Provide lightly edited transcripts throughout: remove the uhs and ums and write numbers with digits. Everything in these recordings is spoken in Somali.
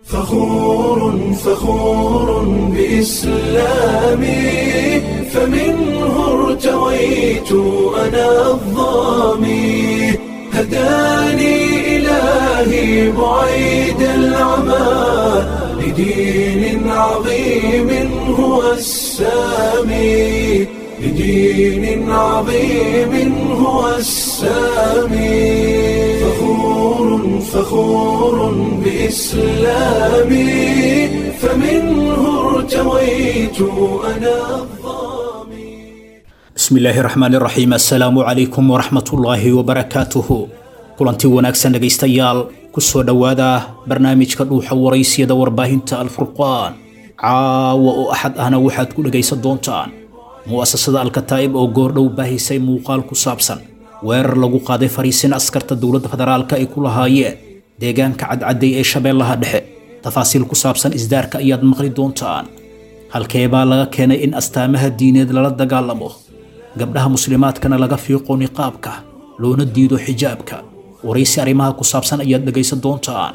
فخور فخور بإسلامي، فمنه ارتويت أنا الظامي، هداني إلهي بعيد العمى، لدين عظيم هو السامي، لدين عظيم هو السامي. فخور فخور بإسلامي، فمنه ارتويت أنا الظامي. Bismi illaahi raxmaani raxiim, assalaamu calaykum waraxmatullaahi wabarakaatuhu. Kulanti wanaagsan dhegaystayaal, ku soo dhowaada barnaamijka Dhuuxa Waraysiyada warbaahinta Alfurqaan. Caawa oo Axad ahna waxaad ku dhegaysan doontaan mu'asasada Alkataa'ib oo goordhow baahisay muuqaal ku saabsan weerar lagu qaaday fariisin askarta dowladda federaalka ay ku lahaayeen deegaanka Cadcadday ee Shabeellaha Dhexe. Tafaasiil ku saabsan isdaarka ayaad maqli doontaan. Halkee baa laga keenay in astaamaha diineed lala dagaalamo, gabdhaha muslimaadkana laga fiiqo niqaabka loona diido xijaabka? Waraysi arrimaha ku saabsan ayaad dhegaysan doontaan.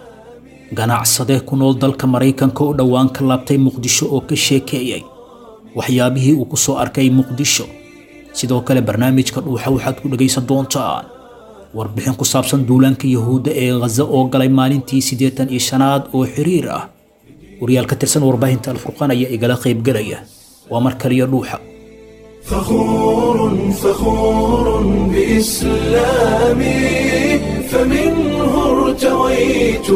Ganacsade ku nool dalka Maraykanka oo dhowaan ka laabtay Muqdisho oo ka sheekeeyey waxyaabihii uu ku soo arkay Muqdisho. Sidoo kale barnaamijka Dhuuxa waxaad ku dhegaysan doontaan warbixin ku saabsan duulaanka Yahuudda ee Ghaza oo galay maalintii 85aad oo xiriir ah. Wariyaal ka tirsan warbaahinta Alfurqaan ayaa igala qaybgelaya. Waa mar kaliya Dhuuxa. فخور فخور بإسلامي، فمنه ارتويت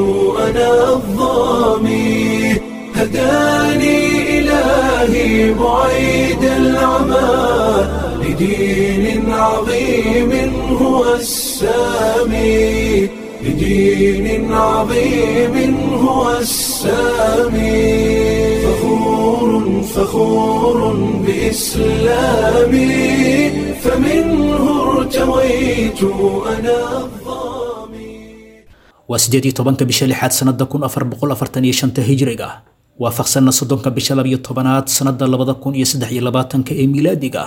أنا الظامي، هداني إلهي بعيد العمى، لدين عظيم هو السامي، لدين عظيم هو السامي. فخور فخور بإسلامي، فمنه ارتويت أنا الظامي. Waa 18-ka bisha lixaad sanada 1445-ta hijriga, waafaqsanna 30-ka bisha 12aad sanada 2023-ka ee miilaadiga.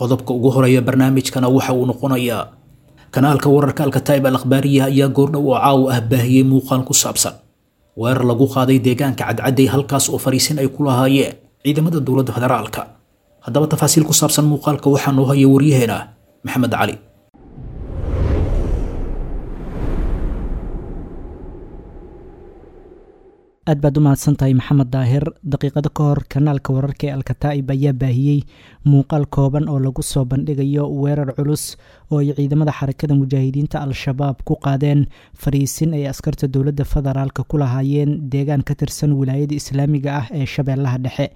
Qodobka ugu horeeya barnaamijkana waxa uu noqonayaa kanaalka wararka Alkataa'ib Al Akhbaariya ayaa goordhow oo caawa ah baahiyey muuqaal ku saabsan weerar lagu qaaday deegaanka Cadcadday, halkaas oo fariisin ay ku lahaayeen ciidamada dowladda federaalka. Haddaba tafaasiil ku saabsan muuqaalka waxaa noo haya waryaheena Maxamed Cali. Aad baad u mahadsantahay, Maxamed Daahir. Daqiiqado ka hor kanaalka wararka ee Alkataa'ib ayaa baahiyey muuqaal kooban oo lagu soo bandhigayo weerar culus oo ay ciidamada Xarakada Mujaahidiinta Al-Shabaab ku qaadeen fariisin ay askarta dowladda federaalka ku lahaayeen deegaan ka tirsan wilaayada islaamiga ah ee Shabeellaha Dhexe.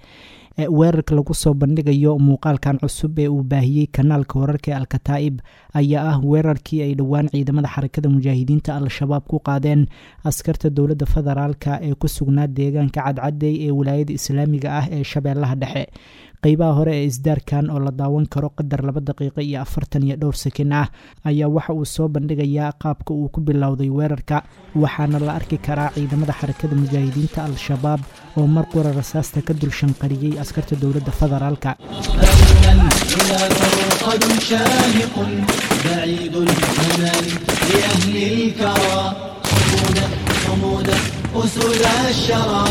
Weerarka lagu soo bandhigayo muuqaalkan cusub ee uu baahiyey kanaalka wararka ee Alkataa'ib ayaa ah weerarkii ay dhowaan ciidamada Xarakada Mujaahidiinta Al-Shabaab ku qaadeen askarta dowladda federaalka ee ku sugnaa deegaanka Cadcadey ee wilaayada islaamiga ah ee Shabeellaha Dhexe. Qeybaha hore ee isdaarkan oo la daawan karo qadar 2 daqiiqo iyo 40 iyo dhowr sakin ah ayaa waxa uu soo bandhigayaa qaabka uu ku bilowday weerarka, waxaana la arki karaa ciidamada Xarakada Mujaahidiinta Al-Shabaab oo mar qura rasaasta ka dul shanqariyey askarta dowladda federaalka. فإن العلا فرقد شاهق بعيد المنال لأهل الكرى، صمودا صمودا أسود الشرى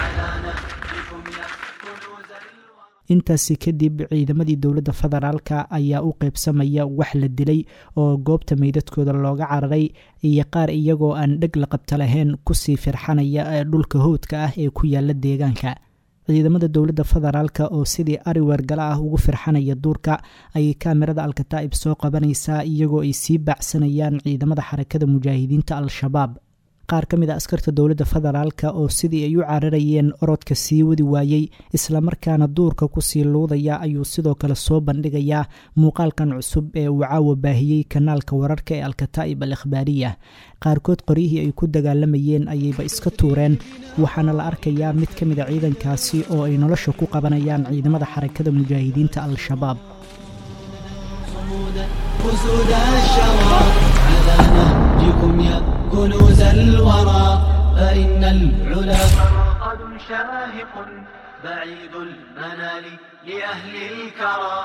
على نهجكم يا كنوز الورى. Intaasi kadib ciidamadii dowladda federaalka ayaa u qeybsamaya wax la dilay oo goobta meydadkooda looga cararay iyo qaar iyagoo aan dheg la qabta lahayn kusii firxanaya ee dhulka howdka ah ee ku yaala deegaanka. Ciidamada dowladda federaalka oo sidii ari weergala ah ugu firxanaya duurka ayay kaamirada Alkataa'ib soo qabanaysaa iyagoo ay sii baacsanayaan ciidamada Xarakada Mujaahidiinta Al-Shabaab. Qaar ka mid a askarta dowladda federaalka oo sidii ay u cararayeen orodka sii wadi waayey islamarkaana duurka kusii luudaya ayuu sidoo kale soo bandhigayaa muuqaalkan cusub ee uu caawa baahiyey kanaalka wararka ee Alkataa'ib Al Ikhbaariya. Qaarkood qoryihii ay ku dagaalamayeen ayayba iska tuureen, waxaana la arkayaa mid ka mid a ciidankaasi oo ay nolosha ku qabanayaan ciidamada Xarakada Mujaahidiinta Al-Shabaab. صمودا أسود الشرى على نهجكم يا كنوز الورى، فإن العلا فرقد شاهق بعيد المنال لأهل الكرى.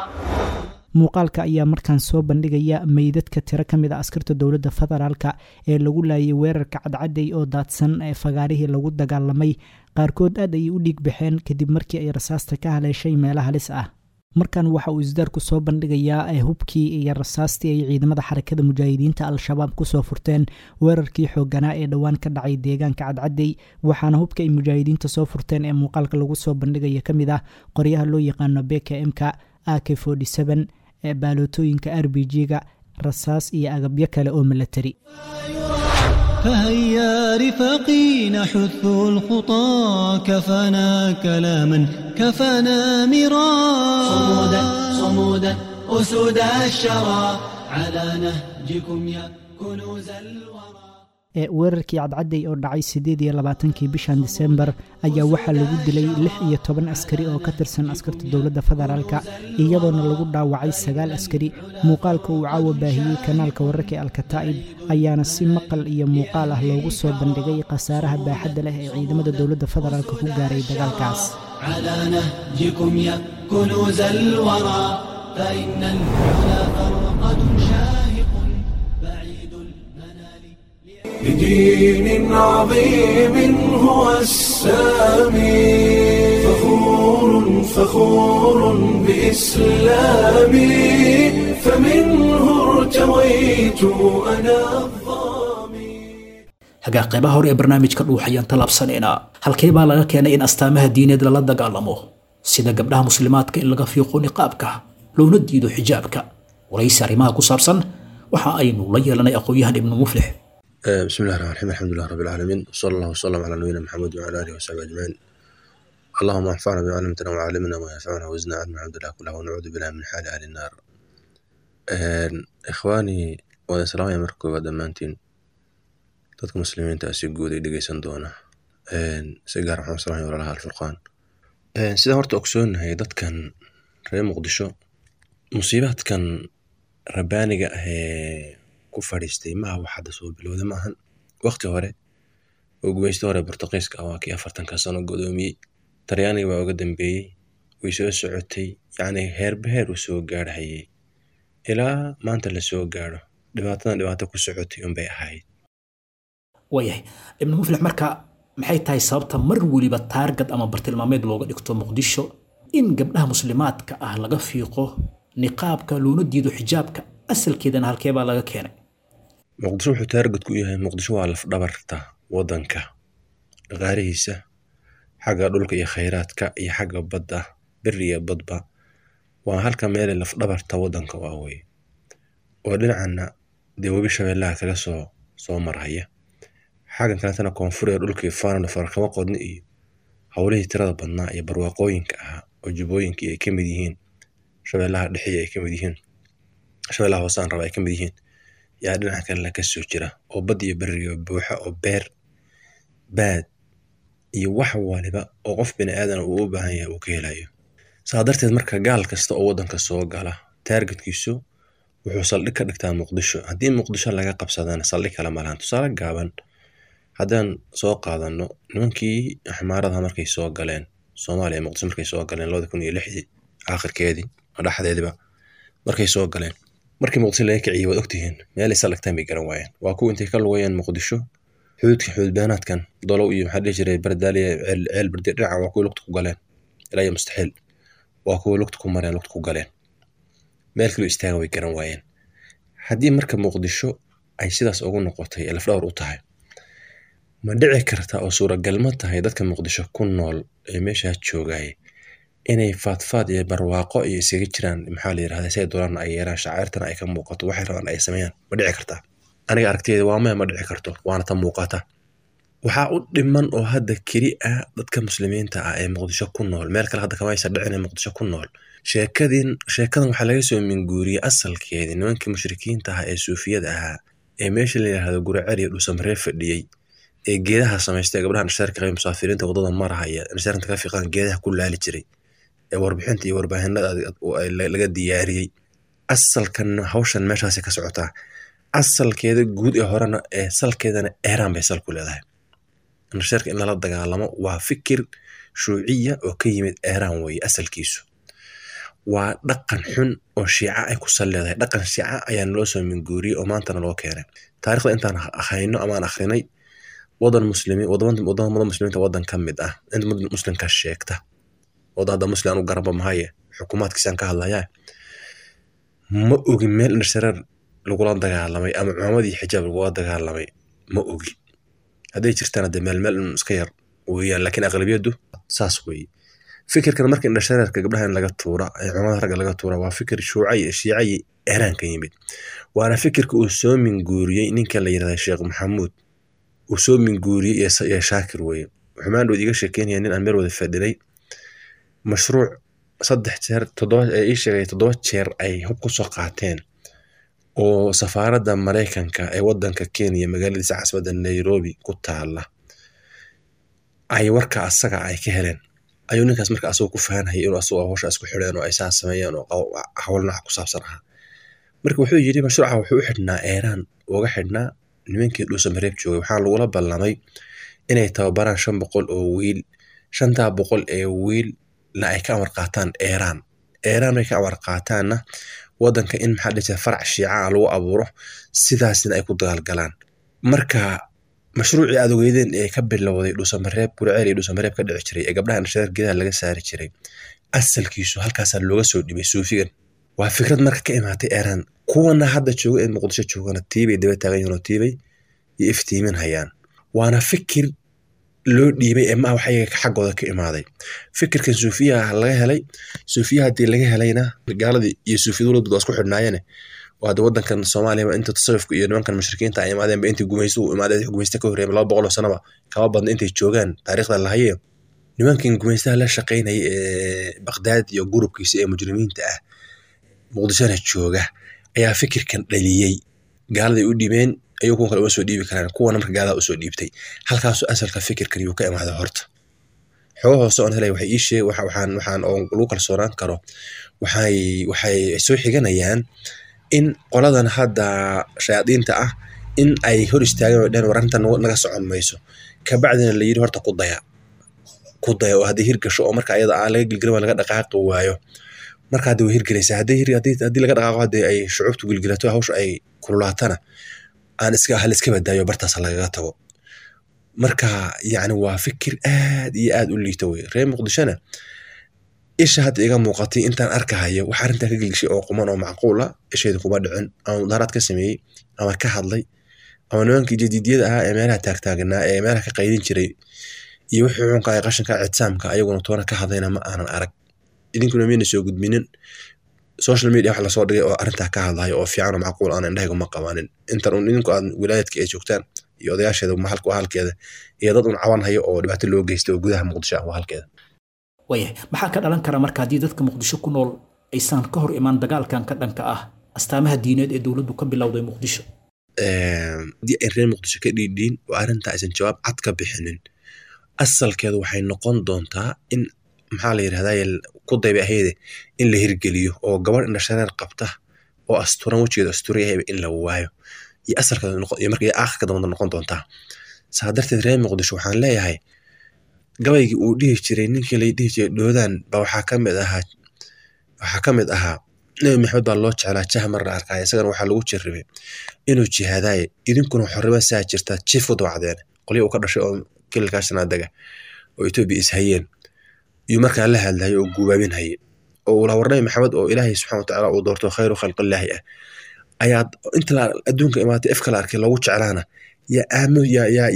Muuqaalka ayaa markaan soo bandhigaya meydadka tiro ka mid a askarta dowladda federaalka ee lagu laayay weerarka Cadcadey oo daadsan ee fagaarihii lagu dagaalamay. Qaarkood aad ayay u dhiig baxeen kadib markii ay rasaasta ka haleeshay meelo halis ah. Markan waxa uu isdaarku soo bandhigayaa hubkii iyo rasaastii ay ciidamada Xarakada Mujaahidiinta Al-Shabaab kusoo furteen weerarkii xooganaa ee dhowaan ka dhacay deegaanka Cadcadey. Waxaana hubka ay mujaahidiinta soo furteen ee muuqaalka lagu soo bandhigaya ka mid ah qoryaha loo yaqaano BKM-ka, AK ee baalootooyinka RPG-ga, rasaas iyo agabyo kale oo milatari. فهيا رفاقي نحث الخطى، كفانا كلاما كفانا مرا. صمودا صمودا أسود الشرى، على نهجكم يا كنوز الورى. Weerarkii Cadcadey oo dhacay 28-kii bishan Disembar ayaa waxaa lagu dilay 16 askari oo ka tirsan askarta dowladda federaalka, iyadoona lagu dhaawacay 9 askari. Muuqaalka uu caawa baahiyey kanaalka wararka ee Alkataa'ib ayaana si maqal iyo muuqaal ah loogu soo bandhigay khasaaraha baaxadda leh ee ciidamada dowladda federaalka ku gaaray dagaalkaas. على نهجكم يا كنوز الورى، فإن العلا فرقد شاهق بعيد المنال. لدين عظيم هو السامي، فخور فخور بإسلامي، فمنه ارتويت أنا الظامي. Hagaa, qaybaha hore ee barnaamijka Dhuux ayaan tallaabsanaynaa. Halkee baa laga keenay in astaamaha diineed lala dagaalamo, sida gabdhaha muslimaadka in laga fiiqo niqaabka loona diido xijaabka? Waraysi arrimaha ku saabsan waxa aynu la yeelanay aqoon-yahan Ibnu Muflix. بسم الله الرحمن الرحيم، الحمد لله رب العالمين، وصلى الله وسلم على نبينا محمد وعلى اله وصحبه اجمعين. اللهم انفعنا بما علمتنا وعلمنا ما ينفعنا وزدنا علما، الحمد لله كله، ونعوذ بالله من حال اهل النار. Ikhwaani, wada salaamaya marka koowaad dhammaantiin dadka muslimiinta ah si guud ay dhegeysan doona. Si gaar waxaan u salaamaya walaalaha Alfurqaan. Sidaan horta ogsoonahay, dadkan reer Muqdisho musiibaadkan rabbaaniga ah ee ku fadhiistay maaha wax hadda soo bilowda maahan. Waqti hore oo gumaysto hore Bortuqiiska ah waa kii 40-ka sano godoomiyey. Talyaaniga baa uga dambeeyey. Way soo socotay, yacni heerba heer uu soo gaarhayay ilaa maanta la soo gaadho. Dhibaatadan dhibaato ku socotay unbay ahayd. Waayahay, Ibnu Muflix, marka maxay tahay sababta mar weliba taargad ama bartilmaameed looga dhigto Muqdisho in gabdhaha muslimaadka ah laga fiiqo niqaabka loona diido xijaabka? Asalkeedana halkee baa laga keenay? Muqdisho wuxuu taargad ku yahay, Muqdisho waa lafdhabarta waddanka, dhaqaalihiisa xagga dhulka iyo khayraadka iyo xagga badda, beri iyo badba waa halka meele lafdhabarta waddanka waa weye, oo dhinacana dee webi Shabeellaha kaga soo marhaya, xaggan kaletana koonfur ee dhulkii faanana farakama qodni iyo howlihii tirada badnaa iyo barwaaqooyinka ahaa oo jubbooyinkii ay ka mid yihiin, Shabeellaha dhexe ay ka mid yihiin, Shabeellaha hoose aan raba ay ka mid yihiin, yaa dhinaca kalena ka soo jira oo bad iyo beriga buuxa oo beer baad iyo wax waliba oo qof bini aadan uu u baahan yahay uu ka helayo. Saa darteed marka gaal kasta oo waddanka soo gala taargetkiisu wuxuu saldhig ka dhigtaa Muqdisho. Haddii Muqdisho laga qabsadana saldhig kale ma lahan. Tusaale gaaban haddaan soo qaadano, nimankii axmaaradaha markay soo galeen Soomaaliya, Muqdisho markay soo galeen 2006-dii aakhirkeedii dhexdeediba markay soo galeen, markii Muqdisho laga kiciyey, waad ogtihiin meelay saldhigtaan bay garan waayeen. Waa kuwa intay ka lugayeen Muqdisho xuduudka xuduudbeenaadkan Dolow iyo maxaa dhihi jiray Bardaaliya, Ceel Bardi dhinaca, waa kuwa lugta ku galeen ilaa iyo mustaxiil, waa kuwa lugta ku mareen, lugta ku galeen, meel kaloo istaagan way garan waayeen. Haddii marka Muqdisho ay sidaas ugu noqotay ee lafdhabar u tahay, ma dhici karta oo suuragal ma tahay dadka Muqdisho ku nool ee meeshaa joogay inay faadfaad iyo barwaaqo iyo isaga jiraan, maxaa la yirahdaa, say doonaan ay yeelaan, shacairtana ay ka muuqato, waxay rabaan ay sameeyaan? Ma dhici kartaa? Aniga aragtiyada waa maya, ma dhici karto, waana ta muuqata. Waxaa u dhiman oo hadda keli ah dadka muslimiinta ah ee Muqdisho ku nool, meel kale hadda kama aysan dhicin ee Muqdisho ku nool. Sheekadin sheekadan waxaa laga soo minguuriyey asalkeedii nimankii mushrikiinta ahaa ee suufiyada ahaa ee meesha la yidhaahdo Guriceel iyo Dhuusamree fadhiyey ee geedaha samaystay, gabdhaha indhashareerka qabay, musaafiriinta waddada marahaya indhashareerka ka fiiqaan geedaha ku laali jiray ee warbixinta iyo warbaahinada laga diyaariyey. Asalkan hawshan meeshaasi ka socotaa asalkeeda guud ee horena ee salkeedana Eeraan bay sal ku leedahay. Indhashareerka in lala dagaalamo waa fikir shuuciya oo ka yimid Eeraan weeye asalkiisu. Waa dhaqan xun oo shiica ay ku sal leedahay. Dhaqan shiica ayaa naloo soo minguuriyey oo maantana loo keenay. Taariikhda intaan hayno ama aan akhrinay, wadan muslimiin, wadamada muslimiinta wadan ka mid ah, inta muslimka sheegta, wadan hadda muslim anu garanba mahaye, xukuumaadkiisaan ka hadlayaa, ma ogi meel indhashareer lagula dagaalamay ama cumaamadii xijaab lagula dagaalamay, ma ogi. Hadday jirtaan hadee meel meel un iska yar weeyaan, laakiin aqlabiyaddu saas weeye. Fikirkan marka indhashareerka gabdhaha in laga tuura ee cumaamada ragga laga tuura waa fikir shuuca iyo shiica iyo Iiraan ka yimid, waana fikirka uu soo minguuriyey ninka la yirahda Sheekh Maxamuud uu soo minguuriyey iyo Shaakir weeye. Wuxuu maandhow iiga sheekeynaya nin aan meel wada fadhinay mashruuc 3 jeer 7 ee ii sheegay 7 jeer ay hub ku soo qaateen oo safaaradda Mareykanka ee wadanka Kenya magaaladiisa caasimadda Nairobi ku taala ay warka asaga ay ka heleen. Ayuu ninkaas marka asagoo ku fahanhayay inuu asagoo hawsha isku xidheen oo ay saas sameeyeen oo hawl nooca ku saabsan ahaa. Marka wuxuu yidhi mashruuca wuxuu u xidhnaa Iiraan, uga xidhnaa nimankii Dhuusamareeb joogay. Waxaa lagula ballamay inay tababaraan 500 oo wiil, 500 ee wiilna ay ka amar qaataan Iiraan. Iiraan ay ka amar qaataanna wadanka in maxaa dhihi jiray farac shiica ah lagu abuuro, sidaasna ay ku dagaalgalaan. Marka mashruucii aad ogeydeen ee ka bilowday Dhuusamareeb, Guriceel iyo Dhuusamareeb ka dhici jiray ee gabdhaha indhashareer geedaha laga saari jiray, asalkiisu halkaasaa looga soo dhibay suufigan. Waa fikrad marka ka imaatay Iiraan. Kuwana hadda jooga ee Muqdisho joogana tiibay daba taagan yihiin oo tiibay iyo iftiimin hayaan. Waana fikir loo dhiibay ee ma wax iyaga xaggooda ka imaaday. Fikirkan suufiyaha laga helay, suufiyaha haddii laga helayna gaaladii iyo suufiyadu waa isku xidhnaayeen. Waa hadda wadankan Soomaaliya inta tasawufka iyo nimankan mushrikiinta ay imaadeen ba intii gumaystuhu imaadeen, gumaysta ka horreeyay 200 oo sanaba kama badna intay joogaan taariikhda la hayo. Nimankan gumaystaha la shaqaynayay ee Baghdad iyo gurubkiisa ee mujrimiinta ah Muqdishona jooga ayaa fikirkan dhaliyey. Gaaladay u dhiibeen, ayagu kuwan kale uma soo dhiibi karaan, kuwana marka gaalada usoo dhiibtay. Halkaasuu asalka fikirkan yuu ka imaaday horta. Xogo hoose oon helay waxay ii sheeg, waxaan oo lagu kalsoonaan karo, waxay soo xiganayaan in qoladan hadda shayaadiinta ah in ay hor istaageen oo dhaheen war arrintan naga socon mayso. Kabacdina la yidhi horta ku daya, ku daya oo haddii hirgasho oo marka ayada aan laga gilgilin waa laga dhaqaaqi waayo. Marka hadda way hirgelaysaa, haddii laga dhaqaaqo, haddii ay shucuubtu gilgilato hawsha ay kululaatana aan iska hal iska badaayo bartaas lagaga tago. Marka yacni waa fikir aad iyo aad u liita wey. Reer Muqdishona isha hadda iga muuqatay intaan arkahayo wax arrintan ka gilgishay oo quman oo macquul ah ishayda kuma dhicin, ama mudaharaad ka sameeyey ama ka hadlay ama nimankii jadiidiyada ahaa ee meelaha taagtaagnaa ee meelaha ka qaydin jiray iyo wixii xunka ee qashinka ictisaamka ayaguna toona ka hadlayna ma aanan arag. Idinkuna miyayna soo gudbinin social media wax lasoo dhigay oo arrintaa ka hadlayo oo fiican oo macquul aan indhahayga ma qabanin. Intan un idinku aad wilaayadka ay joogtaan iyo odayaasheeda maxalka waa halkeeda iyo dad un caban hayo oo dhibaato loo geystay oo gudaha Muqdisho ah waa halkeeda. Waayahay, maxaa ka dhalan kara marka haddii dadka Muqdisho ku nool aysan ka hor imaan dagaalkan ka dhanka ah astaamaha diineed ee dowladdu ka bilowday Muqdisho? Haddii ay reer Muqdisho ka dhiidhiin oo arrintaa aysan jawaab cad ka bixinin, asalkeedu waxay noqon doontaa in maxaa la yirahdaa ku dayba ahayde in la hirgeliyo oo gabadh indhashareer qabta oo asturan wejigeeda asturan yahayba in la waayo. Iyo asalkeedu noqon, iyo marka iyo aakhirka dambe noqon doontaa. Saa darteed reer Muqdisho waxaan leeyahay gabaygii uu dhihi jiray ninkii la dhihi jiray Dhoodaan ba waxaa ka mid ahaa Nabi Maxamed baa loo jeclaa jah mar la arkay, isagana waxaa lagu jirribay inuu jihaadaye, idinkuna xorrimo saa jirtaa jiif u dawacdeen qolyo uu ka dhashay oo kililkaasna dega oo Itoobiya is hayeen iyo markaa la hadlayay oo guubaabin hayay oo uu lahaa war Nabi Maxamed oo Ilaahay subxaanahu wa tacaala uu doorto khayru khalqillaahi ah ayaad inta la adduunka imaatay ifka la arkay loogu jeclaana yaa aamo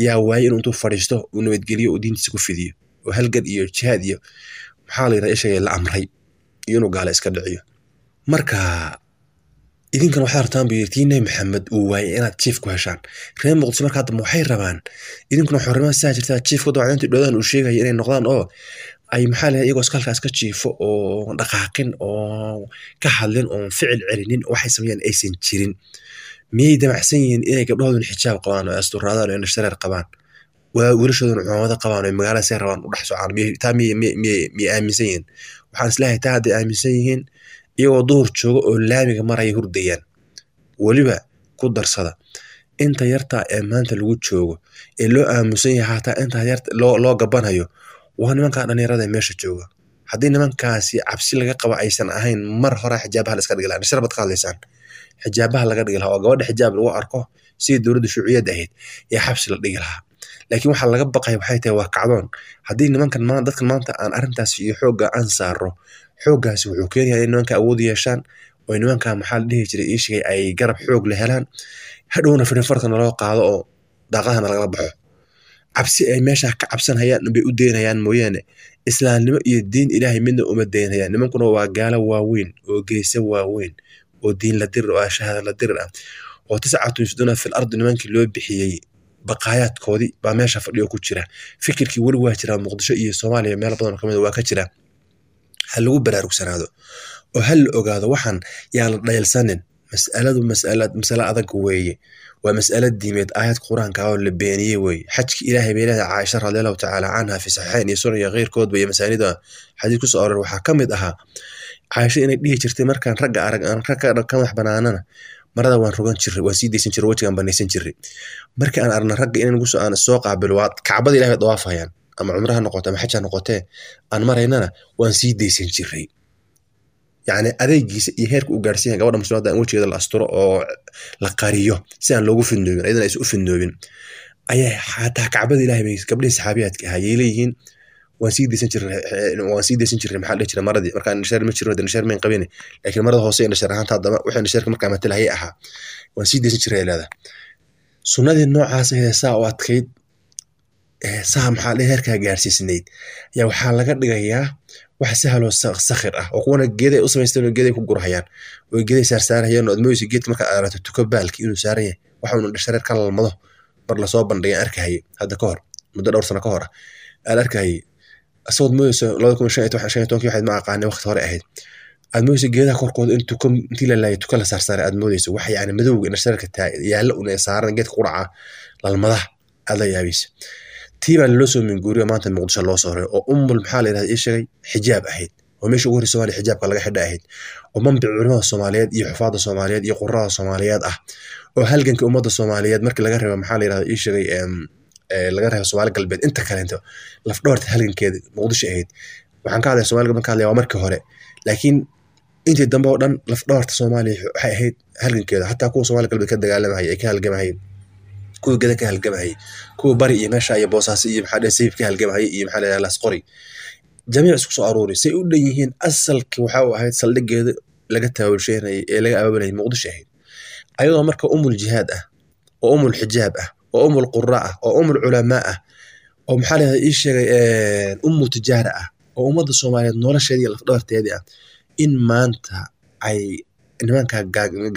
yaa waayay inuu intuu fadhiisto uu nabadgeliyo uu diintiisa ku fidiyo oo halgan iyo jihaad iyo maxaa la yidhahdaa ishaga la amray iyo inuu gaala iska dhiciyo. Marka idinkan waxaad rabtaan buu yidhi tii Nabi Maxamed uu waayay inaad jiif ku heshaan. Reer Muqdisho marka hadda waxay rabaan idinkuna xornimo saa jirtaa jiif ku dawacdeynta Dhoodaan uu sheegaya inay noqdaan oo ay maxaa la yidhahdaa iyagoo iska halkaas ka jiifo oo dhaqaaqin oo ka hadlin oo ficil celinin waxay sameeyaan aysan jirin. Miyay damacsan yihiin inay gabdhahooduna xijaab qabaan oo asturaadaan oo indhashareer qabaan, wiilashooduna cumaamado qabaan oo magaalada say rabaan u dhex socaan? Taa miyay aaminsan yihiin? Waxaan isleeyahay taa hadday aaminsan yihiin iyagoo duhur jooga oo laamiga maraya hurdayaan. Weliba ku darsada inta yartaa ee maanta lagu joogo ee loo aaminsan yahay hataa inta yarta loo gabanhayo waa nimanka dhalinyarada ee meesha jooga. Haddii nimankaasi cabsi laga qaba aysan ahayn, mar hore xijaabaha la iska dhigi lahaa. Indhashareer baad ka hadlaysaan, xijaabaha laga dhigi lahaa oo gabadha xijaab lagu arko sidii dowladda shuuciyadda ahayd yaa xabsi la dhigi lahaa. Laakiin waxaa laga baqaya waxay tahay waa kacdoon. Haddii nimankan dadkan maanta aan arrintaas iyo xoogga aan saaro, xooggaasi wuxuu keenayaa in nimanka awood yeeshaan oo nimanka maxaa la dhihi jiray ii sheegay ay garab xoog la helaan, hadhowna firinfartana loo qaado oo daaqadahana lagala baxo. Cabsi ay meesha ka cabsanhayaan bay u deynayaan mooyaane, islaamnimo iyo diin ilaahay midna uma deynayaan. Nimankuna waa gaalo waaweyn oo geesa waaweyn oo diin la dirir oo shahaada la dirir ah oo 9 yufsiduuna fil ardi nimankii loo bixiyey baqaayaadkoodii baa meesha fadhiyo ku jira. Fikirkii weli waa jiraa Muqdisho iyo Soomaaliya meel badan oo kamid waa ka jira. Ha lagu baraarugsanaado oo ha la ogaado, waxaan yaan la dhayalsanin. Mas'aladu mas'alo adag weeye, waa mas'alo diimeed, aayad qur-aanka oo la beeniyey weeye. Xajki ilaahay bay leedahay Caaisha radiallahu tacaala canha fi saxiixayn iyo sunan iyo keyrkoodba iyo masaanida xadiis kusoo aroor. Waxaa ka mid ahaa Caaisha inay dhihi jirtay, markaan ragga arag aan ragga ka madax banaanana marada waan rogan jiray, waan sii deysan jiray, wejigaan banaysan jiray. Marka aan aragna ragga inay nagu soo aan soo qaabilo, waa kacbada ilahay bay dawaafayaan, ama cumraha noqote ama xaj ha noqotee, aan maraynana waan sii deysan jiray. Yacni adeegiisa iyo heerka uu gaarsiin yahay gabadha muslimadda in wejigeeda la asturo oo la qariyo si aan loogu fidnoobin, ayadana aysan u fidnoobin, ayaa xataa kacbada ilaahay bay gabdhihii saxaabiyaadka ahaa yay leeyihiin waan sii deysan jirnay, waan sii deysan jirnay maxaa dhihi jiray maradii. Markaan indhashareer ma jirin, indhashareer mayn qabin, laakiin marada hoose indhashareer ahaanta haddaba wixii indhashareerka markaa matalahayay ahaa waan sii deysan jiray leedahay. Sunnadii noocaas ahayd saa u adkayd, saa maxaa dhihi heerkaa gaarsiisnayd, ayaa waxaa laga dhigayaa wax sahaloo sakhir ah oo kuwana geeday u samaysteen oo geeday ku gurhayaan oo geeday saarsaarayaan oo aad moodayso geedka markaad aragto tuko baalki inuu saaran yahay. Waxa uu indhashareer ka lalmado mar lasoo bandhigay arkahayay hadda ka hor, muddo dhowr sano ka hor ah aan arkahayay, asagood moodayso 2015-15 waxayd ma aqaanay waqti hore ahayd, aad moodayso geedaha korkooda in tuko intii la laayay tuko la saarsaaray aad moodayso. Wax yacni madowga indhashareerka yaalla un ee saaran geedka quraca lalmadaha aad la yaabaysa. Tii baa loo soo minguuriyo maanta Muqdisho loo soo raray oo ummul maxaa la yidhahda ii sheegay xijaab ahayd, oo meesha ugu horreysa Soomaaliya xijaabka laga xidha ahayd, oo manbic culimada Soomaaliyeed iyo xufaadda Soomaaliyeed iyo qurrada Soomaaliyeed ah, oo halganka ummadda Soomaaliyeed markii laga reebo maxaa la yidhahda ii sheegay laga reebo Soomaali galbeed inta kaleento lafdhabarta halgankeeda Muqdisho ahayd. Waxaan ka hadlaya Soomaali galbeed ka hadlaya waa markii hore, laakiin intii dambe oo dhan lafdhabarta Soomaaliya waxay ahayd halgankeeda. Xataa kuwa Soomaali galbeed ka dagaalamahayay ee ka halgamahayay, kuwa geda ka halgamahayay, kuwa bari iyo meesha iyo Boosaaso iyo maxaa sayib ka halgamahayay iyo maxaa la Laasqori, jamiic isku soo aruuri say u dhan yihiin. Asalki waxa uu ahayd saldhigeeda laga taabulsheynayay ee laga abaabulayay Muqdisho ahayd. Ayadoo marka umul jihaad ah oo umul xijaab ah oo umul qurra ah oo umul culamaa ah oo maxaa la ii sheegay ummu tijaara ah oo ummadda Soomaaliyeed nolosheedii iyo lafdhabarteedii ah, in maanta ay nimanka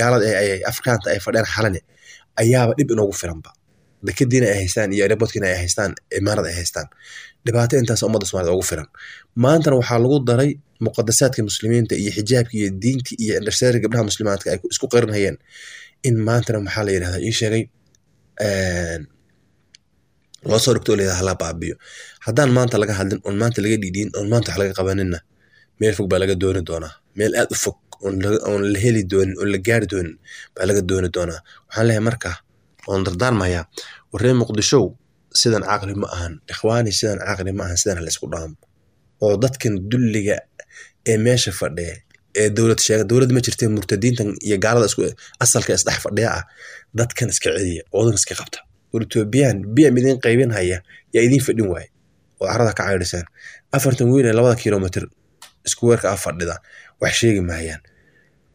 gaalada ay Afrikaanta ay fadhiyaan xalane ayaaba dhib inoogu filanba. Dekadiina ay haystaan iyo airportkiina ay haystaan, imaarada ay haystaan, dhibaato intaas ummadda Soomaaliyeed ugu filan. Maantana waxaa lagu daray muqadasaadka muslimiinta iyo xijaabka iyo diinta iyo indhashareerka gabdhaha muslimaadka ay isku qarinayeen, in maantana maxaa la yidhahdaa ii sheegay loo soo dhigto oo la yidhahda hala baabiyo. Haddaan maanta laga hadlin oon maanta laga dhiidhiin oon maanta wax laga qabaninna, meel fog baa laga dooni doonaa, meel aad u fog oon la heli doonin oon la gaari doonin baa laga dooni doonaa. Waxaan leeyahay marka oon dardaarmayaa, warree Muqdishow, sidan caqli ma ahan ikhwaani, sidan caqli ma ahan, sidan hala isku dhaamo oo dadkan dulliga ee meesha fadhiya ee dowlad sheega, dowlad ma jirtee, murtadiintan iyo gaalada isku asalka isdhex fadhiya ah, dadkan iska celiya oo wadan iska qabta. War Etoobiyaan BM idin qaybin haya yaa idin fadhin waaye oo carada ka caydhisaan. 40 wiil ee 2 kilomitir isku weerka ah fadhida wax sheegi maayaan.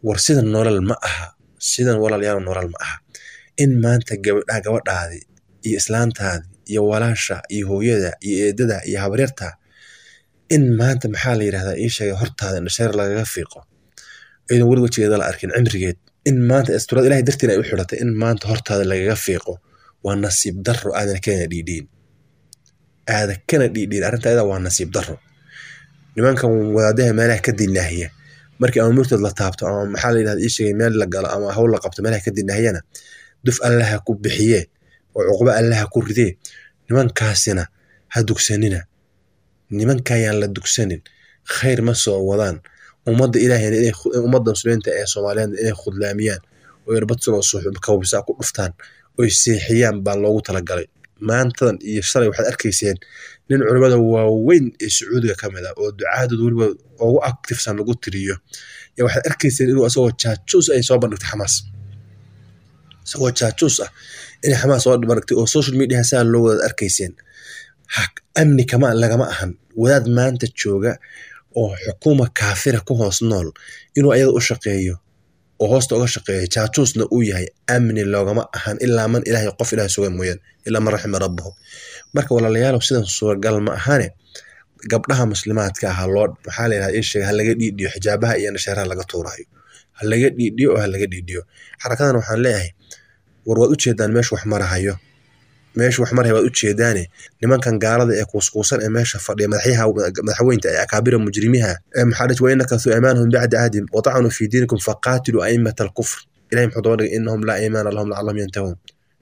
War sidan nolol ma aha, sidan walaalayaal nolol ma aha. In maanta gabadha gabadhaadi iyo islaantaadi iyo walaasha iyo hooyada iyo eedada iyo habaryarta in maanta maxaa la yidhahdaa ii sheegay hortaada indhashareer lagaga fiiqo iyadoon weli wejigeeda la arkin cimrigeed, in maanta asturada ilahay dartiin ay u xidhatay in maanta hortaada lagaga fiiqo waa nasiib darro aadan kana dhiidhiin, aada kana dhiidhiin arrinta ayada waa nasiib darro. Nimankan wadaadaha meelaha ka dinaahiya markii ama murtad la taabto ama maxaa la yidhahda ii sheegay meel la galo ama hawl la qabto meelaha ka dinaahiyana, duf allaha ku bixiyee oo cuqubo allaha ku ridee. Nimankaasina ha dugsanina, nimankayaan la dugsanin, khayr ma soo wadaan. Ummadda ilaahayna inay ummadda muslimiinta ee Soomaaliyeed inay khudlaamiyaan oo irbad sugoo kawbisaa ku dhuftaan oy seexiyaan baa loogu talagalay. Maantadan iyo shalay waxaad arkayseen nin culimada waaweyn ee Sacuudiga ka mid ah oo ducaadooda weliba ugu activesan lagu tiriyo, yaa waxaad arkayseen inuu asagoo jaajuus ay soo bandhigtay Xamaas, isagoo jaajuus ah inay Xamaas soo bandhigtay oo social media saa loo wadaad arkayseen. Amni kama lagama ahan wadaad maanta jooga oo xukuuma kaafira ku hoos nool inuu ayada u shaqeeyo oo hoosta uga shaqeeyo, jaajuusna uu yahay. Amni loogama ahan ilaa man Ilaahay, qof Ilaahay sugan mooyaan, ilaa man raxima rabbahu. Marka walaalayaalow, sidan suuragal ma ahane. Gabdhaha muslimaadka ah loo maxaa la yidhahdaa, ii sheeg, ha laga dhiidhiyo xijaabaha iyo nashaaraha laga tuurayo, ha laga dhiidhiyo oo ha laga dhiidhiyo. Xarakadan waxaan leeyahay, war waad ujeedaan meesha wax marahayo, meesha wax marahayo waad ujeedaane. Nimankan gaalada ee kuuskuusan ee meesha fadhiya, madaxyaha, madaxweynta ee akaabira mujrimiha ee maxaa dhihi, wain nakasuu aymaanahum bacda cahdihim watacanuu fi diinikum faqaatiluu aimata alkufr. Ilahay muxuu daba dhigay? Innahum laa aymaana lahum lacallahum yantahuun.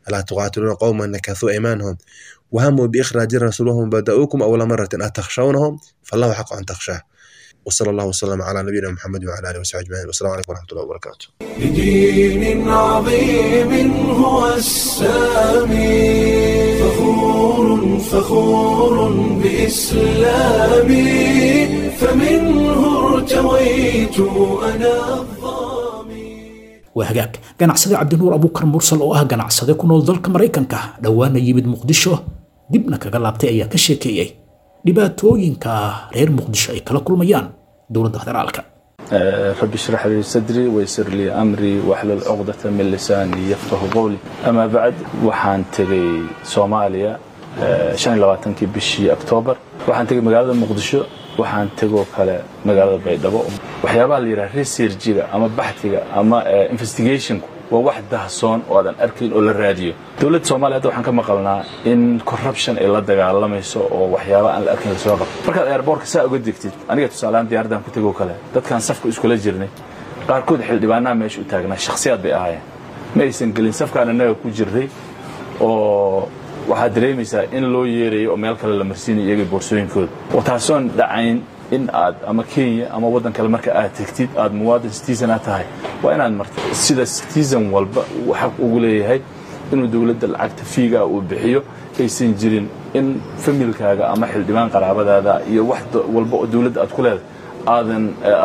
Alaa tuqaatiluuna qowman nakasuu aymaanahum wahamuu biikhraaji rasuul wahum bada'uukum awla maratin atakhshawnahum fallahu xaqu an takhshaah. وصلى الله وسلم على نبينا محمد وعلى اله وصحبه اجمعين، والسلام عليكم ورحمه الله وبركاته. لدين عظيم هو السامي، فخور فخور بإسلامي، فمنه ارتويت أنا الظامي. Waa hagaag. Ganacsade Cabdinuur Abuukar Mursal oo ah ganacsade ku nool dalka Maraykanka, dhowaana yimid Muqdisho dibna kaga laabtay, ayaa ka sheekeeyey dhibaatooyinka reer Muqdisho ay kala kulmayaan dowladda federaalka. رب اشرح لي صدري ويسر لي أمري واحلل عقدة من لساني يفقه قولي. أما بعد، waxaan tegay Soomaaliya 25kii bishii Oktoobar. Waxaan tegay magaalada Muqdisho, waxaan tegoo kale magaalada Baydhabo. Waxyaabaha la yidhaha researchiga ama baxtiga ama investigationku waa wax dahsoon oo aadan arkayn oo la raadiyo. Dowladda Soomaaliya hadda waxaan ka maqalnaa in corruption ay la dagaalamayso oo waxyaaba aan la arkayn lasoo qabto. Markaad airportka saa uga degtid, aniga tusaalehaan diyaaraddan ku tegoo kale, dadkaan safka iskula jirnay qaarkood xildhibaanaha meesha u taagnaa, shakhsiyaad bay ahaayeen, ma aysan gelin safkaan annaga ku jirnay, oo waxaad dareemaysaa in loo yeerayo oo meel kale la marsiinayo iyaga boorsooyinkooda, oo taasoon dhacayn in aad ama Kenya ama waddan kale marka aad tegtid aad muwaadin citizen aad tahay, waa inaad marto sida citizen walba uu xaq ugu leeyahay inuu dowladda lacagta fiiga uu bixiyo. Aysan jirin in familkaaga ama xildhibaan qaraabadaada iyo wax walba oo dowladda aad ku leedahay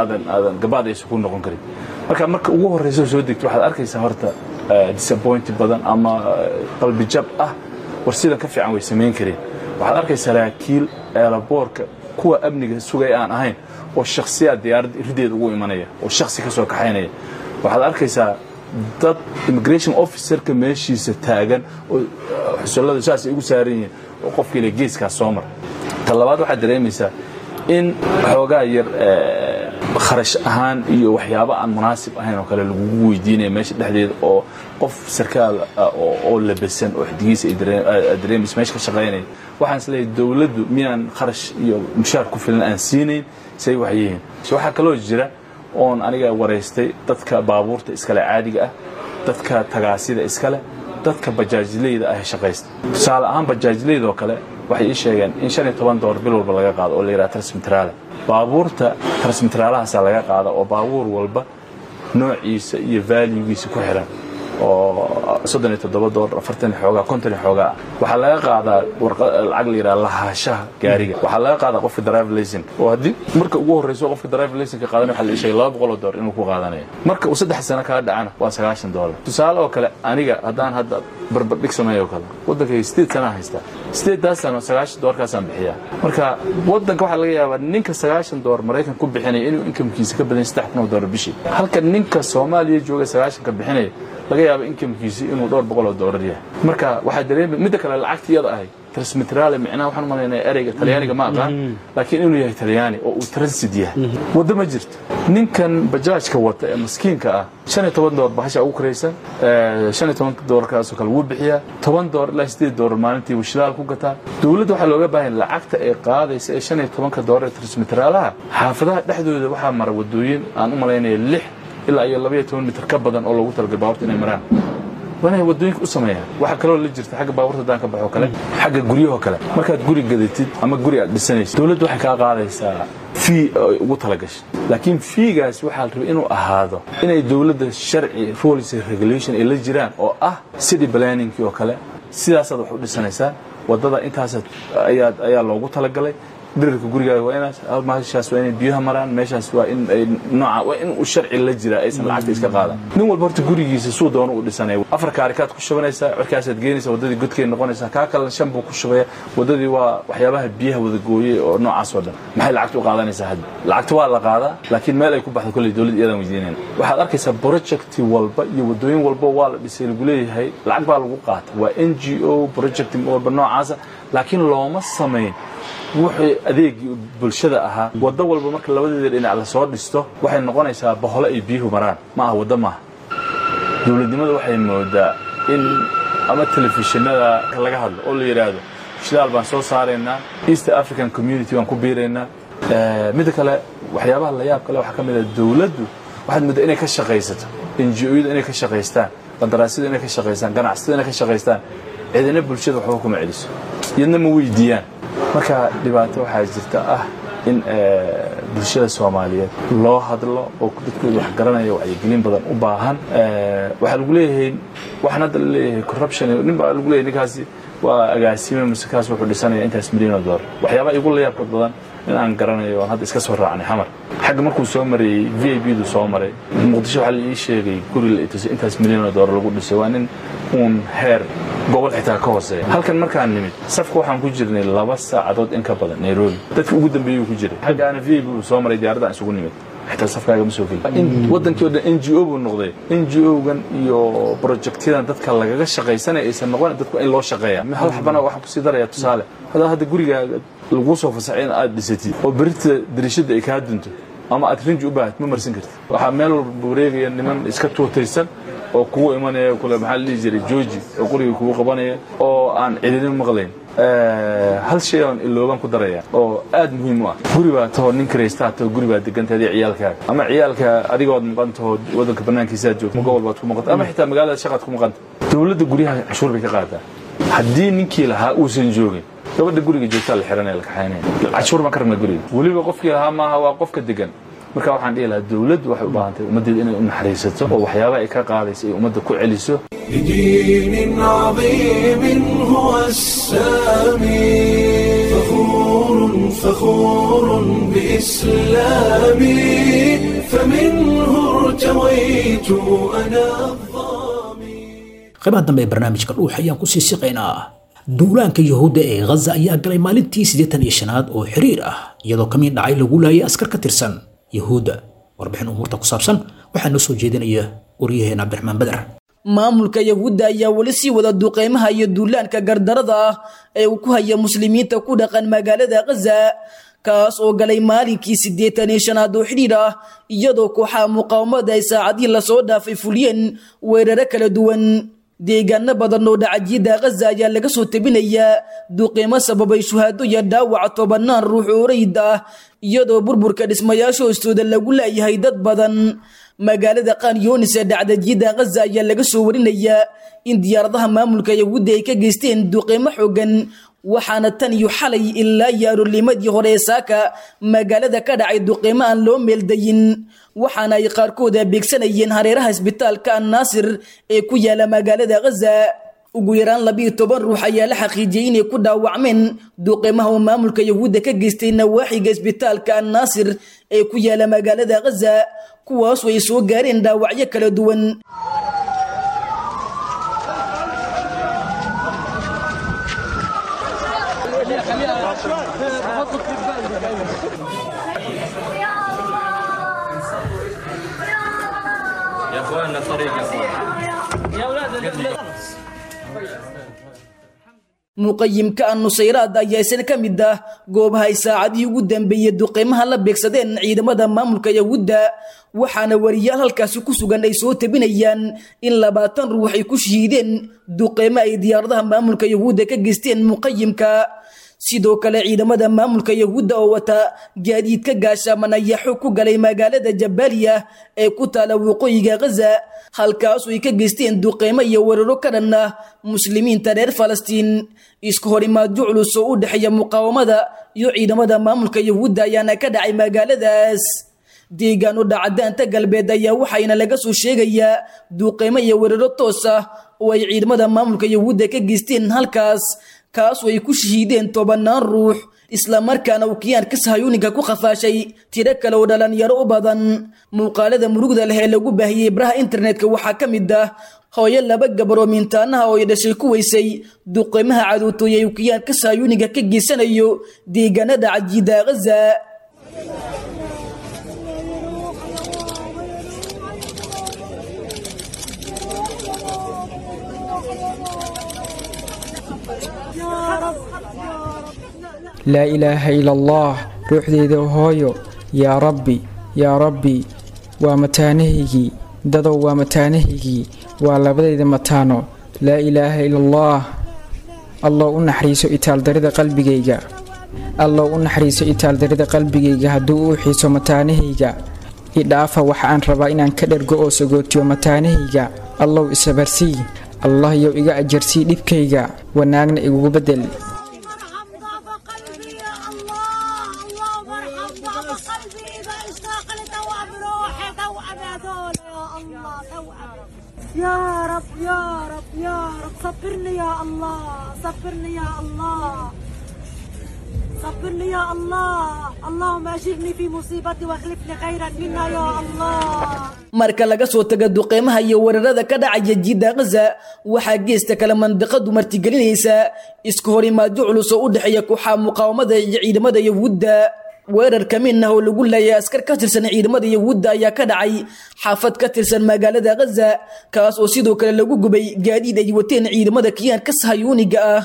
aadan gabaad aysan ku noqon karin. Marka ugu horreysa soo degto, waxaad arkaysaa horta disappoint badan ama qalbijab ah, war sidan ka fiican way samayn kareen. Waxaad arkaysaa saraakiil airportka kuwa amniga sugay aan ahayn oo shakhsiyaad diyaaradda rideeda ugu imanaya oo shakhsi ka soo kaxaynaya. Waxaad arkaysaa dad immigration officerka meeshiisa taagan oo xusullada saas ay ugu saaran yihiin oo qofkii le geeskaas soo mar. Ta labaad, waxaad dareemaysaa in xoogaa yar kharash ahaan iyo waxyaabo aan munaasib ahayn oo kale lagugu weydiinaya meesha dhexdeeda, oo qof sarkaal oo labasan oo xidigiisa ay dareemaysa meesha ka shaqaynaya. Waxaan is leeyahay, dowladdu miyaan kharash iyo mushaar ku filan aan siinayn say wax yihiin? Waxaa kaloo jira oon aniga waraystay dadka baabuurta iskale caadiga ah, dadka tagaasida iskale, dadka bajaajleyda ah shaqaysta. Tusaale ahaan bajaajleyda oo kale waxay ii sheegeen in $15 bil walba laga qaado oo la yidhaha transmitraale. Baabuurta transmitraalahaasaa laga qaada, oo baabuur walba noociisa iyo valuegiisa ku xiran, oo $37, 40 xoogaa, 50 xoogaa ah. Waxaa laga qaadaa lacag la yidhaha lahaashaha gaariga. Waxaa laga qaadaa qofka driver license, oo haddii marka ugu horreyso qofka driver license qaadanaya waxaa la ii sheegay $200 inuu ku qaadanayo. Marka uu 3 sano kaa dhacana waa $90. Tusaale oo kale, aniga haddaan hadda barbardhig sameeyo oo kale, waddankayga 8 sanaa haystaa, 8daas sano $90kaasaan bixiyaa. Marka waddanka waxaa laga yaabaa ninka $90 Maraykan ku bixinaya inuu incomekiisa ka badan $3,000 bishii, halka ninka Soomaaliya jooga 90ka bixinaya laga yaabo incomekiisa inuu dhowr boqol oo doolar yahay. Marka waxaa dareemay midda kale lacagta iyada ahay transmitrale, micnaha waxaan u malaynaya ereyga Talyaaniga ma aqaan, laakiin inuu yahay Talyaani oo uu transit yahay, waddo ma jirto. Ninkan bajaajka wata ee maskiinka ah $15 bahasha ugu karaysan, 15 doolarkaasoo kale wuu bixiyaa, $10 ilaa $8 maalintii wuu shidaal ku gataa. Dowladda waxaa looga baahan lacagta ay qaadaysa ee 15-ka doolar ee transmitraalaha, xaafadaha dhexdooda waxaa mara wadooyin aan u malaynaya 6 ilaa iyo 12 mitir ka badan oo loogu talagalay baabuurta inay maraan, waa inay wadooyinka u sameeyaan. Waxaa kaloo la jirta xagga baabuurta haddaan ka baxo kale, xagga guryahoo kale, markaad guri gadatid ama guri aad dhisanaysid, dowladdu waxay kaa qaadaysaa fee ay ugu talagashay, laakiin feegaas waxaa la rabay inuu ahaado inay dowladda sharci, rules and regulation ay la jiraan, oo ah city planningkii oo kale. Sidaasaad wax u dhisanaysaa, waddada intaas ayaa loogu talagalay, dhirirka gurigaaga waa inaas, meeshaas waa inay biyaha maraan, meeshaas waa in ay nooca, waa in uu sharci la jiraa, aysan lacagta iska qaadan. Nin walba horta gurigiisa suu doono u dhisanaya. 4 kaarikaad ku shubanaysaa, cirkaasaad geenaysaa, waddadii godkay noqonaysaa. Kaa kalena 5 buu ku shubaya, waddadii waa waxyaabaha biyaha wada gooyey oo noocaas oo dhan. Maxay lacagta u qaadanaysaa hadda? Lacagta waa la qaadaa, laakiin meel ay ku baxdo kolley dowladda iyadaan weydiinayna. Waxaad arkaysaa project walba iyo waddooyin walba waa la dhisay lagu leeyahay, lacag baa lagu qaata, waa NGO project walba noocaasa, laakiin looma samayn wuxuu adeegii bulshada ahaa. Waddo walba marka labadeeda dhinac lasoo dhisto waxay noqonaysaa boholo ay biyuhu maraan, ma aha waddo maaha. Dowladnimada waxay moodaa in ama telefishinada laga hadlo oo la yidhaahdo shidaal baan soo saaraynaa, East African Community baan ku biiraynaa. Midda kale, waxyaabaha la yaab kale waxaa ka mid ah dowladdu waxaad mooddaa inay ka shaqaysato, NGO-yada inay ka shaqaystaan, qandaraasyada inay ka shaqaystaan, ganacsatada inay ka shaqaystaan. Cidina bulshada waxba kuma celiso, iyadna ma weydiiyaan. Marka dhibaato waxaa jirta ah in bulshada Soomaaliyeed loo hadlo oo dadkooda wax garanaya wacyigelin badan u baahan. Waxaa lagu leeyahay, waxaan hadda la leeyahay corruption, nin baa lagu leeyahay ninkaasi waa agaasime mise kaas wuxuu dhisanaya intaas milyan oo dollar. Waxyaabaha igu la yaabka badan in aan garanayo aan hadda iska soo raacnay Xamar xagga markuu soo marayey VIP du soo maray Muqdisho, waxaa la ii sheegay guri la itusay intaas milyan oo dollar lagu dhisay, waa nin uun heer gobol xitaa ka hooseeya. Halkan markaan nimid safka waxaan ku jirnay 2 saacadood in ka badan. Nairobi dadka ugu dambeeyey ku jiray, xaggaana VIP uu soo maray, diyaaradda aan isugu nimid xitaa safkaaga ma soo gelin. Waddankii oo dhan NGO buu noqday. NGO-gan iyo projectyadan dadka lagaga shaqaysanaya aysan noqon, dadku in loo shaqeeya. Hal xabana waxaan kusii daraya tusaale, haddaa hadda gurigaaga laguu soo fasaxay in aad dhisatid oo berita dariishadda ay kaa dunto ama aad rinji u baahatid, ma marsan kartid. Waxaa meel walba wareegaya niman iska tuutaysan oo kugu imanaya kule, maxaa la dhihi jiray, jooji, oo qoriga kugu qabanaya oo aan cidina maqlayn. Hal shay oon iloobaan ku daraya oo aad muhiim u ah: guri baa tahoo nin karaystaa taho, guri baa degantahay adiga ciyaalkaaga, ama ciyaalka adigood maqan taho, waddanka bannaankiisaad joogto, gobol baad ku maqanta, ama xitaa magaalada shaqaad ku maqanta. Dowladda guryaha cashuur bay ka qaadaa. Haddii ninkii lahaa uusan joogin, gabadha guriga joogtaa la xiranaya, la kaxaynaya. Cashuur baan ka rabnaa guriga, weliba qofkii lahaa maaha, waa qofka degan. Marka waxaan dhihi lahaa dowladdu waxay u baahan tahay ummaddeeda inay u naxariisato oo waxyaabaha ay ka qaadaysa ay ummadda ku celiso. لدين عظيم هو السامي، فخور فخور بإسلامي، فمنه ارتويت أنا الظامي. Qaybaha dambe ee barnaamijka Dhuux ayaan kusii siqaynaa. Duulaanka Yahuudda ee Ghaza ayaa galay maalintii 85aad oo xiriir ah, iyadoo kamiin dhacay lagu laayay askar ka tirsan Yahuudda. Warbixin umuurta ku saabsan waxaa noo soo jeedinaya waryaheena Cabdiraxmaan Badar. Maamulka Yahuudda ayaa weli sii wada duqeymaha iyo duulaanka gardarada ah ee uu ku haya muslimiinta ku dhaqan magaalada Ghaza, kaas oo galay maalinkii 85aad oo xidhiir ah, iyadoo kooxaha muqaawamada ay saacadihii lasoo dhaafay fuliyeen weeraro kala duwan. Deegaano badan oo dhacajiyada Ghaza ayaa laga soo tebinayaa duqeymo sababay shuhaado iyo dhaawaca tobanaan ruux oo rayid ah, iyadoo burburka dhismayaasha hoostooda lagu laayahay dad badan. Magaalada Qan Yunis ee dhacdajiyada Ghaza ayaa laga soo warinayaa in diyaaradaha maamulka Yahuudda ay ka geysteen duqeymo xoogan, waxaana tan iyo xalay ilaa iyo aroornimadii hore ee saaka magaalada ka dhacay duqeymo aan loo meeldayin, waxaana ay qaarkood abeegsanayeen hareeraha isbitaalka Annaasir ee ku yaala magaalada Ghaza. Ugu yaraan 12 ruux ayaa la xaqiijiyey inay ku dhaawacmeen duqeymaha oo maamulka Yahuudda ka geystay nawaaxiga isbitaalka Annaasir ee ku yaala magaalada Ghaza, kuwaas oo ay soo gaareen dhaawacyo kala duwan. يا اخواننا الطريق يا اخوان. Muqayimka An-Nusayraad ayaa isna ka mid ah goobaha ay saacadihii ugu dambeeyey duqeymaha la beegsadeen ciidamada maamulka Yahuudda, waxaana wariyaal halkaasi ku sugan ay soo tebinayaan in 20 ruux ay ku shahiideen duqeymo ay diyaaradaha maamulka Yahuudda ka geysteen muqayimka. Sidoo kale ciidamada maamulka Yahuudda oo wata gaadiidka gaashaaman ayaa xog ku galay magaalada Jabaaliya ee ku taala waqooyiga Ghaza, halkaas oo ay ka geysteen duqeymo iyo weeraro ka dhan ah muslimiinta reer Falastiin. Isku horimaadyo culus oo u dhexeeya muqaawamada iyo ciidamada maamulka Yahuudda ayaana ka dhacay magaaladaas. Deegaano dhacdaanta galbeed ayaa waxayna laga soo sheegayaa duuqeymo iyo weeraro toos ah oo ay ciidamada maamulka Yahuudda ka geysteen halkaas, kaas oo ay ku shahiideen 10 ruux, islamarkaana uu kiyaanka sahayuuninka ku khafaashay tiro kale oo dhalinyaro u badan. Muuqaalada murugda leh ee lagu baahiyey baraha internetka waxaa ka mid ah hooyo 2 gabar oo mintaanaha oo ay dhashay ku weysay duqeymaha cadowtooyay uu kiyaanka sahayuuninka ka geysanayo deegaanada cajiida Gaza. Laa ilaaha ila allah, ruuxdeyda hooyo, yaa rabbi, yaa rabbi, waa mataanahaygii, dadow waa mataanahaygii, waa labadayda mataano. Laa ilaaha ila allah. Allow u naxariiso itaaldarida qalbigayga, allow u naxariiso itaaldarida qalbigayga hadduu u xiiso mataanahayga. Idhaafa waxa aan rabaa inaan ka dhergo oo sagootiyo mataanahayga. Allow isabarsii, allah yow iga ajarsii dhibkayga, wanaagna igugu bedel. يا رب يا رب يا رب، صبرني يا الله، صبرني يا الله، صبرني يا الله، اللهم أجرني في مصيبتي واخلفني خيرا منها يا الله. Marka laga soo tago duqeymaha iyo weerarada ka dhacaya jidda Gaza, waxaa geesta kale mandiqadu martigelinaysa isku horimaadyo culus oo u dhexeeya kooxaha muqaawamada iyo ciidamada Yahuudda. Weerar ka mid ah oo lagu laayay askar ka tirsan ciidamada Yahuudda ayaa ka dhacay xaafad ka tirsan magaalada Gaza, kaas oo sidoo kale lagu gubay gaadiid ay wateen ciidamada kiyaanka sahayuuniga ah.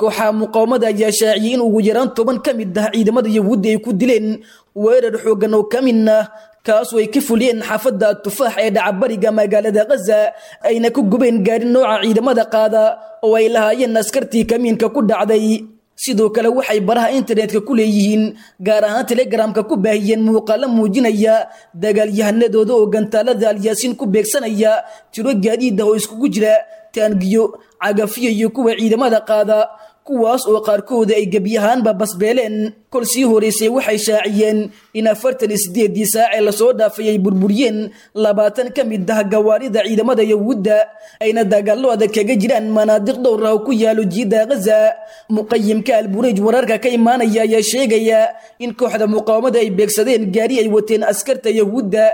Kooxaha muqaawamada ayaa shaaciyay in ugu yaraan 10 ka mid ah ciidamada Yahuudda ay ku dileen weerar xooggan oo ka mid ah, kaas oo ay ka fuliyeen xaafadda Tufaax ee dhaca bariga magaalada Gaza, ayna ku gubeen gaari nooca ciidamada qaada oo ay lahaayeen askartii kamiinka ku dhacday. Sidoo kale waxay baraha internetka ku leeyihiin, gaar ahaan Telegramka, ku baahiyeen muuqaalo muujinaya dagaalyahanadooda oo gantaalada Alyaasiin ku beegsanaya tiro gaadiid ah oo iskugu jira taangiyo, cagafiyo iyo kuwa ciidamada qaada, kuwaas oo qaarkooda ay gebi ahaanba basbeeleen. Kol sii horeysay waxay shaaciyeen in 48dii saac ee lasoo dhaafay ay burburiyeen 20 ka mid ah gawaarida ciidamada Yahuudda, ayna dagaallo adag kaga jiraan manaadiq dhowr ah oo ku yaalo jiidda Gaza. Muqayimka Albureej wararka ka imaanaya ayaa sheegaya in kooxda muqaawamada ay beegsadeen gaari ay wateen askarta Yahuudda.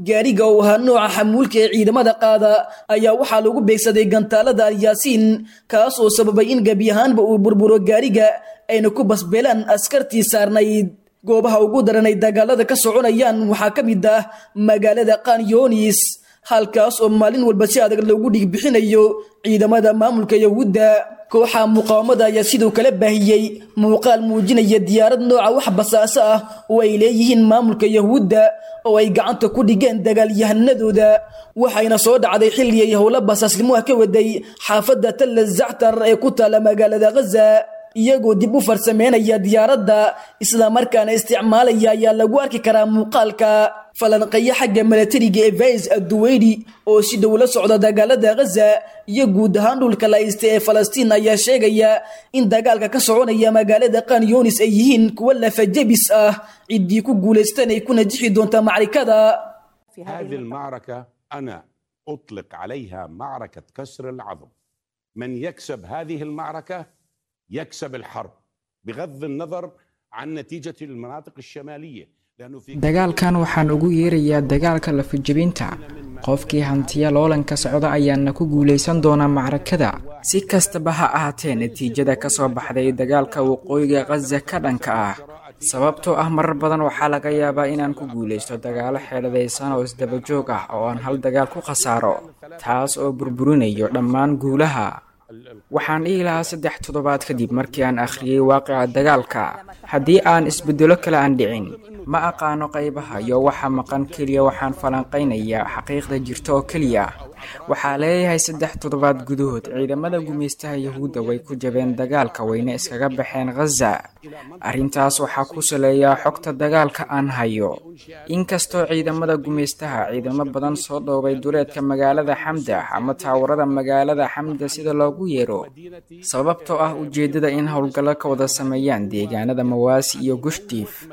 Gaariga oo ahaa nooca xamuulka ee ciidamada qaada ayaa waxaa lagu beegsaday gantaalada Alyaasiin, kaas oo sababay in gebi ahaanba uu burburo gaariga, ayna ku basbeelaan askartii saarnayd. Goobaha ugu daran ay dagaalada ka soconayaan waxaa ka mid ah magaalada Qanyoonis, halkaas oo maalin walba si adag loogu dhig bixinayo ciidamada maamulka Yahuudda. Kooxaha muqaawamada ayaa sidoo kale baahiyey muuqaal muujinaya diyaarad nooca wax basaaso ah oo ay leeyihiin maamulka Yahuudda oo ay gacanta ku dhigeen dagaalyahanadooda, waxayna soo dhacday xilli ay howlo basaasnimo ah ka waday xaafadda Tal Zactar ee ku taala magaalada Gaza. Iyagoo dib u farsameynaya diyaaradda islamarkaana isticmaalaya ayaa lagu arki karaa muuqaalka. Falanqeeya xagga milatariga ee Faiz Adduweyri oo si dhow la socda dagaalada Gaza iyo guud ahaan dhulka la haysta ee Falastiin ayaa sheegaya in dagaalka ka soconaya magaalada Khan Yunis ay yihiin kuwo lafajabis ah, ciddii ku guulaystan ay ku najixi doonta macrikada. هذه المعركة أنا أطلق عليها معركة كسر العظم. من يكسب هذه المعركة يكسب الحرب، بغض النظر عن نتيجة المناطق الشمالية. Dagaalkan waxaan ugu yeerayaa dagaalka lafajabinta. Qofkii hantiya loolanka socda ayaana ku guulaysan doonaa macrakada. Si kastaba ha ahaatee, natiijada ka soo baxday dagaalka waqooyiga Khaza ka dhanka ah, sababtoo ah marar badan waxaa laga yaabaa inaan ku guulaysto dagaalo xeeladaysan oo isdaba joog ah oo aan hal dagaal ku khasaaro, taas oo burburinayo dhammaan guulaha. Waxaan dhihi lahaa 3 toddobaad kadib markii aan akhriyey waaqica dagaalka, haddii aan isbedelo kale aan dhicin, ma aqaano qaybaha iyo waxa maqan. Keliya waxaan falanqaynayaa xaqiiqda jirta oo keliya. Waxaa leeyahay 3 toddobaad gudahood ciidamada gumaystaha Yahuudda way ku jabeen dagaalka, wayna iskaga baxeen Ghaza. Arrintaas waxaa ku saleeyaa xogta dagaalka aan hayo. Inkastoo ciidamada gumaystaha ciidamo badan soo dhoobay duleedka magaalada Xamda ama taawarada magaalada Xamda sida loogu yeero, sababtoo ah ujeedada in howlgallo ka wada sameeyaan deegaanada Mawaasi iyo Gushtiif.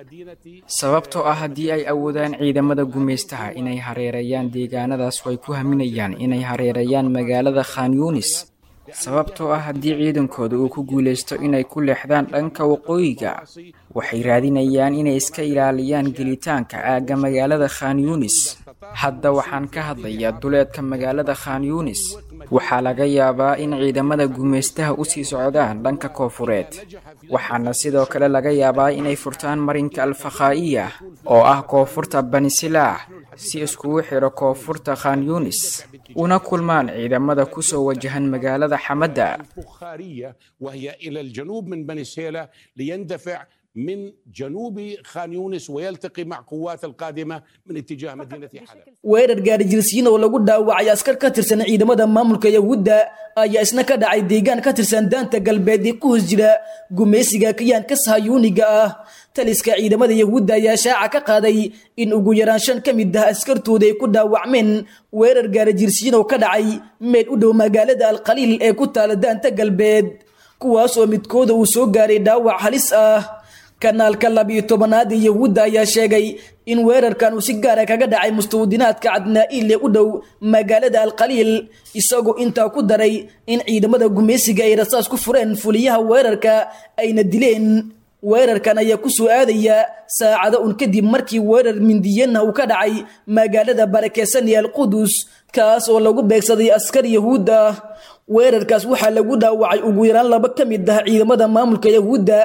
Sababtoo ah haddii ay awoodaan ciidamada gumaystaha inay hareerayaan deegaanadaas, way ku haminayaan inay hareerayaan magaalada Khan Yunis. Sababtoo ah haddii ciidankooda uu ku guulaysto inay ku leexdaan dhanka waqooyiga, waxay raadinayaan inay iska ilaaliyaan gelitaanka aagga magaalada Khan Yunis. Hadda waxaan ka hadlayaa duleedka magaalada Khan Yunis. Waxaa laga yaabaa in ciidamada gumaystaha u sii socdaan dhanka koofureed, waxaana sidoo kale laga yaabaa inay furtaan marinka Alfakhaa'iya oo ah koonfurta Bani Silaah si iskugu xiro koonfurta Khan Yunis, una kulmaan ciidamada kusoo wajahan magaalada Xamadda. الفخارية وهي إلى الجنوب من بني سهيلة ليندفع من جنوب خان يونس ويلتقي مع قوات القادمة من اتجاه مدينة حلب. Weerar gaari jirsiin oo lagu dhaawacay askar ka tirsan ciidamada maamulka Yahuudda ayaa isna ka dhacay deegaan ka tirsan daanta galbeed ee ku hoos jira gumaysiga kiyaanka sahayuuniga ah. Taliska ciidamada Yahuudda ayaa shaaca ka qaaday in ugu yaraan 5 ka mid ah askartooda ay ku dhaawacmeen weerar gaari jirsiin oo ka dhacay meel u dhow magaalada Alqaliil ee ku taala daanta galbeed, kuwaas oo midkooda uu soo gaaray dhaawac halis ah. Kanaalka 12aad ee Yahuudda ayaa sheegay in weerarkan uu si gaara kaga dhacay mustawdinaadka Cadnaa'iil ee u dhow magaalada Alqaliil, isagoo intaa ku daray in ciidamada gumaysiga ay rasaas ku fureen fuliyaha weerarka ayna dileen. Weerarkan ayaa ku soo aadaya saacado un kadib markii weerar mindiyana uu ka dhacay magaalada barakeysan ee Alqudus, kaas oo lagu beegsaday askar Yahuud ah. Weerarkaas waxaa lagu dhaawacay ugu yaraan 2 ka mid ah ciidamada maamulka Yahuudda,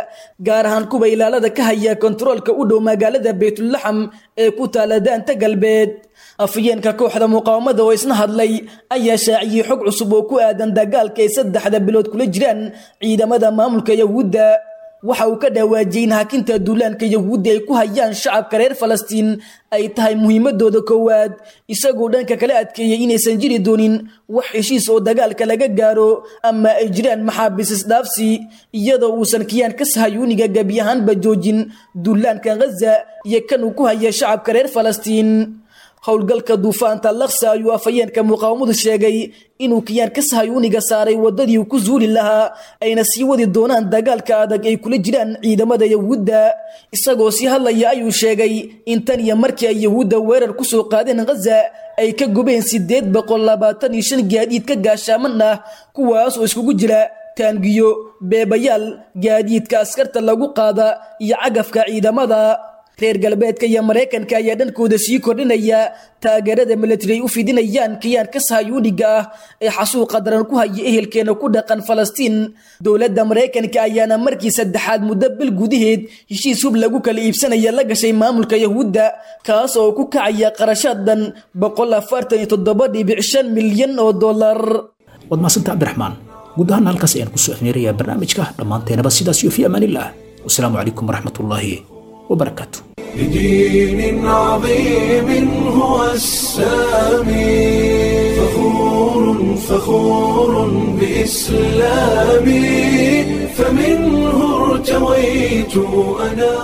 gaar ahaan kuwa ilaalada ka haya kontaroolka u dhow magaalada Baytulaxam ee ku taala daanta galbeed. Afhayeenka kooxda muqaawamada oo isna hadlay ayaa shaaciyey xog cusub oo ku aadan dagaalka ay 3 bilood kula jiraan ciidamada maamulka Yahuudda. Waxa uu ka dhawaajiyey in hakinta duulaanka Yahuudda ay ku hayaan shacabka reer Falastiin ay tahay muhiimadooda koowaad, isagoo dhanka kala adkeeyey inaysan jiri doonin wax heshiis oo dagaalka laga gaaro ama ay jiraan maxaabiis isdhaafsi, iyadoo uusan kiyaanka sahayuuniga gebi ahaanba joojin duulaanka Ghaza iyo kan uu ku haya shacabka reer Falastiin. Howlgalka duufaanta Al-Aqsa ayuu afhayeenka muqaawamadu sheegay inuu kiyaanka sahayuuniga saaray wadadii uu ku zuuli lahaa, ayna sii wadi doonaan dagaalka adag ay kula jiraan ciidamada Yahuudda. Isagoo sii hadlaya ayuu sheegay in tan iyo markii ay Yahuudda weerar ku soo qaadeen Ghaza ay ka gubeen 825 gaadiidka gaashaaman ah, kuwaas oo iskugu jira taangiyo, beebayaal, gaadiidka askarta lagu qaada iyo cagafka ciidamada. Reer galbeedka iyo Mareykanka ayaa dhankooda sii kordhinaya taageerada military ay u fidinayaan kiyaanka sahayuuniga ah ee xasuuqa daran ku haya ehelkeena ku dhaqan Falastiin. Dowladda Mareykanka ayaana markii saddexaad muddo bil gudaheed heshiis hub lagu kala iibsanaya la gashay maamulka Yahuudda, kaas oo ku kacaya qarashaad dhan $147.5 milyan oo dollar. Waad mahadsantahay Cabdiraxmaan. Guud ahaan halkaas ayaan kusoo afmeerayaa barnaamijka dhammaanteenaba sidaas iyo fi amaanillah. Wasalaamu calaykum waraxmatullaahi وبركاته. لدين عظيم هو السامي، فخور فخور بإسلامي، فمنه ارتويت أنا